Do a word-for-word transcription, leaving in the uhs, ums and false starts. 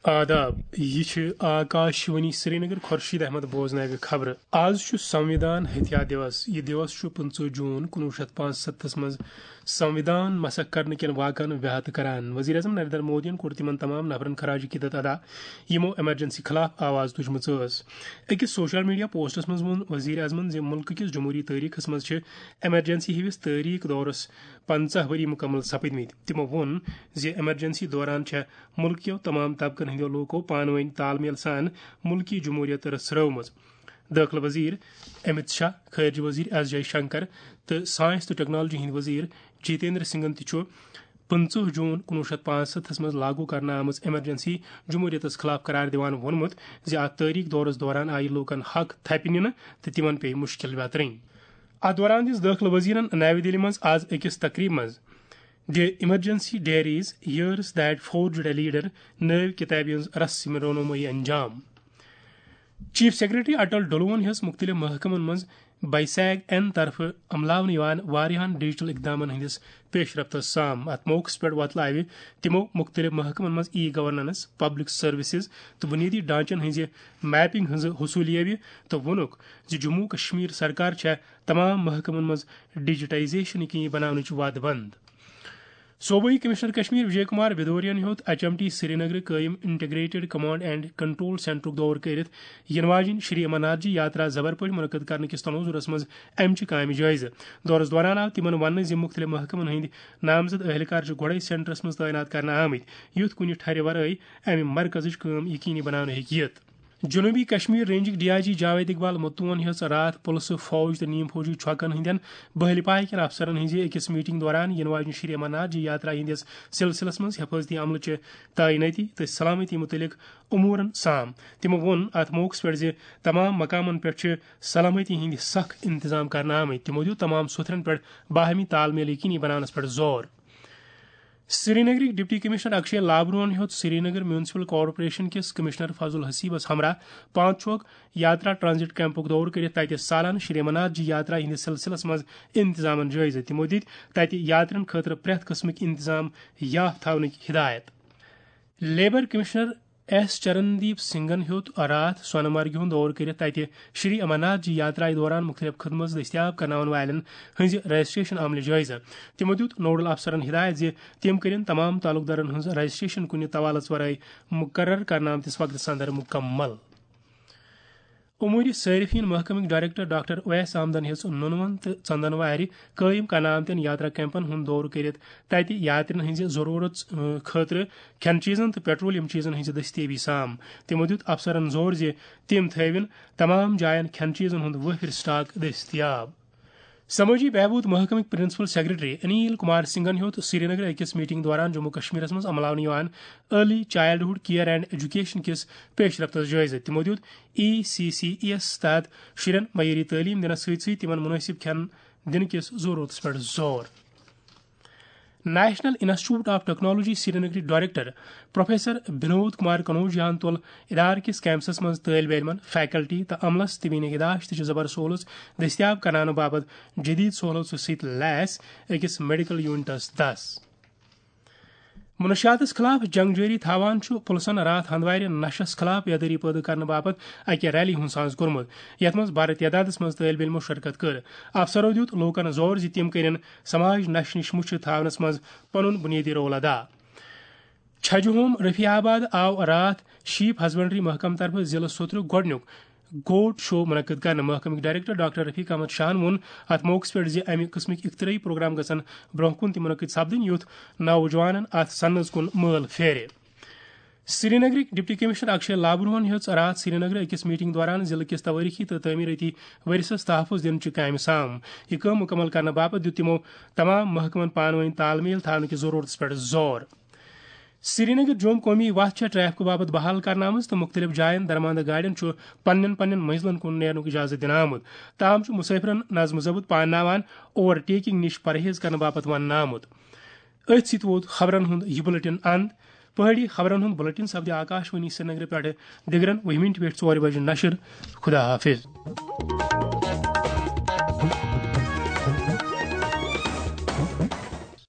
آداب، یہِ چھِ آکاش وانی سرینگر۔ خورشید احمد بوزناوِ خبرٕ۔ آز چھُ سنوِدھان ہتھیا دیوس۔ یہِ دیوس چھُ پٕنٛژٕہ جوٗن کُنوُہ شیٚتھ پانٛژھ ستتھس منٛز سنوِدھان مسخ کرنہٕ کٮ۪ن واقعن ویہتہٕ کران۔ وزیر اعظم نریندر مودیَن کوٚر تِمن تمام نفرن خراج عقیدت ادا، یِمو ایمرجنسی خلاف آواز تُجمٕژ ٲس۔ أکِس سوشل میڈیا پوسٹس منٛز ووٚن وزیر اعظمن زِ مُلکہٕ کِس جمہوٗری تٲریخس منٛز چھِ ایمرجنسی ہِوِس تٲریخ دورس پنٛژاہ ؤری مُکمل سپٕدمٕتۍ۔ تِمو ووٚن زِ ایمرجنسی دوران چھےٚ مُلک کیو تمام طبقن ہٕنٛدیو لوٗکو پانہٕ وٲنۍ تال میل سان مُلکی جمہوٗریت رژھرٲومٕژ۔ دٲخلہٕ وزیر امت شاہ، خارجہ وزیر ایس جے شنکر تہٕ ساینس تہٕ ٹیکنالوجی ہٕنٛدۍ وزیر جتیندر سنگھن تہِ چھُ پٕنٛژٕہ جوٗن کُنوُہ شیٚتھ پانٛژھ ستتھس منٛز لاگو کرنہٕ آمٕژ ایمرجنسی جمہوٗریتس خلاف قرار دِوان ووٚنمُت زِ اتھ تٲریخ دورس دوران آیہِ لوٗکن حق تھپہِ نِنہٕ تہٕ تِمن پیٚیہِ مُشکل ویترٕنۍ۔ اتھ دوران دِژ دٲخلہٕ وزیرن نَوِ دِلہِ منٛز آز أکِس تقریبہِ منٛز The Emergency Diaries: Years That Forged a Leader نٲوۍ کِتابہِ ہٕنٛز رسم رونمٲیی انجام۔ چیف سیکرٹری اٹل ڈلوون ہیٚژ مُختٔلِف محکمن منٛز بایسیگ این طرفہٕ عملاونہٕ یِوان واریاہن ڈیجیٹل اقدامن ہٕنٛدِس پیش رفتس سام۔ اتھ موقعس پٮ۪ٹھ وۄتلٲوِ تِمو مُختٔلِف محکمن منٛز ای گورننس، پبلک سروسز تہٕ بُنیٲدی ڈھانچن ہٕنٛزِ میپنگ ہٕنٛز حصوٗلیٲوی تہٕ ووٚنُکھ زِ جموں و کشمیر سرکار چھےٚ تمام محکمن منٛز ڈیجیٹائزیشن یقینی بناونٕچ وعدٕ بنٛد۔ صوبٲئی کمشنر کشمیر وجے کمار بھدوریَن ہیوٚت ایچ ایم ٹی سرینگرٕ قٲیِم انٹیگریٹڈ کمانڈ اینڈ کنٹرول سینٹرُک دورٕ کٔرِتھ یِنہٕ واجٮ۪ن شری امرناتھ جی یاترا زبر پٲٹھۍ منعقد کرنہٕ کِس تنوظہُرس منٛز امہِ چہِ کامہِ جٲیزٕ۔ دورس دوران آو تِمن وننہٕ زِ مُختٔلِف محکمن ہٕنٛدۍ نامزد اہلکار چھِ گۄڈے سینٹرس منٛز تعینات کرنہٕ آمٕتۍ، یُتھ کُنہِ ٹھرِ ورٲے امہِ مرکزٕچ کٲم یقینی بناونہٕ ہیٚکہِ یِتھ۔ جنوبی کشمیر رینجٕکۍ ڈی آئی جی جاوید اقبال متوون ہیٚژ راتھ پُلسہٕ، فوج تہٕ نیم فوجی چھۄکن ہٕنٛدٮ۪ن بحلی پایہِ کٮ۪ن افسرن ہٕنٛزِ أکِس میٹنگ دوران یِنہٕ واجنہِ شری امرناتھ جی یاترا ہٕنٛدِس سلسلس منٛز حفاظتی عملہٕ چہِ تعینٲتی تہٕ سلامتی مُتعلق امورن سام۔ تِمو ووٚن اتھ موقعس پٮ۪ٹھ زِ تمام مقامن پٮ۪ٹھ چھِ سلامتی ہٕنٛدۍ سخ انتظام کرنہٕ آمٕتۍ۔ تِمو دیُت تمام سوٚتھرن پٮ۪ٹھ باہمی تال میل یقینی بناونس پٮ۪ٹھ زور۔ سرینگرٕکۍ ڈپٹی کمشنر اکشے لابروہن ہیوٚت سرینگر میونسپل کارپوریشن کِس کمشنر فضل حسیبس ہمراہ پانچ چوک یاترا ٹرانزٹ کیمپُک دورٕ کٔرِتھ تَتہِ سالانہٕ شری امرناتھ جی یاترا ہٕنٛدِس سلسلس منٛز انتظامن جٲیزٕ۔ تِمو دِتۍ تَتہِ یاترین خٲطرٕ پرٛٮ۪تھ قٕسمٕک انتظام یاف تھاونٕکۍ ہدایت۔ لیبر کمشنر ایس چرندیپ سنگھن ہیوٚت راتھ سونہٕ مرگہِ ہُنٛد دورٕ کٔرِتھ تَتہِ شری امرناتھ جی یاترایہِ دوران مُختٔلِف خدمژ دٔستیاب کرناون والٮ۪ن ہٕنٛزِ رجسٹریشن عملہِ جٲیزٕ۔ تِمو دیُت نوڈل افسرن ہدایت زِ تِم کٔرِن تمام تعلقدارن ہٕنٛز رجسٹریشن کُنہِ توالس ورٲے مقرر کرنہٕ آمتِس وقتس اندر مُکمل۔ امور صارفین محکمٕکۍ ڈائریکٹر ڈاکٹر اویس احمدن ہیٚژ نُنون تہٕ ژندن وارِ قٲیِم کرنہٕ آمتٮ۪ن یاترا کیمپن ہُنٛد دورٕ کٔرِتھ تَتہِ یاترین ہٕنٛزِ ضروٗرت، اۭں، خٲطرٕ کھٮ۪ن چیٖزن تہٕ پیٹرولیم چیٖزن ہٕنٛزِ دٔستیٲبی سام۔ تِمو دیُت افسرن زور زِ تِم تھٲوِن تمام جاین کھٮ۪ن چیٖزن ہُنٛد وٲفر سٹاک دٔستیاب۔ سمٲجی بہبود محکمٕکۍ پرنسپل سیکرٹری انیل کمار سنگھن ہیوٚت سرینگرٕ أکِس میٹنگ دوران جموں کشمیرس منٛز عملاونہٕ یِوان ارلی چائلڈہُڈ کیئر اینڈ ایجوکیشن کِس پیش رفتس جٲیزٕ۔ تِمو دیُت ای سی سی ای یَس تحت شُرٮ۪ن معیٲری تعلیٖم دِنَس سۭتۍ سۭتۍ تِمَن مُنٲسِب کھٮ۪ن دِنہٕ کِس ضروٗرتَس پٮ۪ٹھ زور۔ نیشنل انسٹیٹیوٹ آف ٹیکنالوجی سرینگرٕکۍ ڈائریکٹر پروفیسر بنود کمار کنوجیان تُل ادارٕ کِس کیمپسَس منٛز طٲلبہِ علمَن، فیکلٹی تہٕ عملَس طبی نگہداشت تہٕ زبر سہولژ دٔستیاب کرناونہٕ باپتھ جدید سہولژو سۭتۍ لیس أکِس میڈیکل یونٹَس دَس۔ منشیاتس خلاف جنگ جٲری تھاوان چھُ پُلسن راتھ ہندوارِ نشس خلاف بیدٲری پٲدٕ کرنہٕ باپتھ اکہِ ریلی ہُنٛد ساز کوٚرمُت، یتھ منٛز بھرٕ تعدادس منٛز طٲلبہِ علمو شرکت کٔر۔ افسرو دیُت لوٗکن زور زِ تِم کٔرِن سماج نشہِ نِش مُچھِ تھاونس منٛز پنُن بُنیٲدی رول ادا۔ چھجہِ ہوم رفیع آباد آو راتھ شیپ ہسبنڈری محکمہٕ طرفہٕ ضلعہٕ سوترُک گۄڈٕنیُک گوٹ شو منعقد کرنہٕ۔ محکمٕکۍ ڈائریکٹر ڈاکٹر رفیق احمد شاہن ووٚن اتھ موقعس پٮ۪ٹھ زِ امہِ قٕسمٕکۍ اختراعی پروگرام گژھن برونٛہہ کُن تہِ منعقد سپدٕنۍ، یُتھ نوجوانن اتھ صنعتس کُن مٲل پھیرِ۔ سرینگرٕکۍ ڈپٹی کمشنر اکشے لابروہن ہیٚژ راتھ سرینگرٕ أکِس میٹنگ دوران ضلعہٕ کِس توٲریخی تہٕ تعمیرٲتی ورثس تحفظ دِنہٕ چہِ کامہِ سام۔ یہِ کٲم مُکمل کرنہٕ باپتھ دیُت تِمو تمام محکمن پانہٕ وٲنۍ تال میل تھاونہٕ کِس ضروٗرتس پٮ۪ٹھ زور۔ سرینگر جوم قومی وتھ چھےٚ ٹریفک باپتھ بحال کرنہٕ آمٕژ تہٕ مُختٔلِف جاین درماندٕ گاڑٮ۪ن چھُ پننٮ۪ن پننٮ۪ن منزلن کُن نیرنُک اجازت دِنہٕ آمُت۔ تاہم چھُ مسافرن نظم و ضبط پانناوان اوور ٹیکنگ نِش پرہیز کرنہٕ باپتھ وننہٕ آمُت۔ أتھۍ سۭتۍ ووت خبرن ہُنٛد یہِ بُلٹن اند۔ پہٲڑی خبرن ہُنٛد بُلٹن سپدِ آکاش وانی سرینگرٕ پٮ۪ٹھٕ دِگرن وُہہِ مِنٹہِ پٮ۪ٹھ ژورِ بجہِ نشر۔ خدا حافظ۔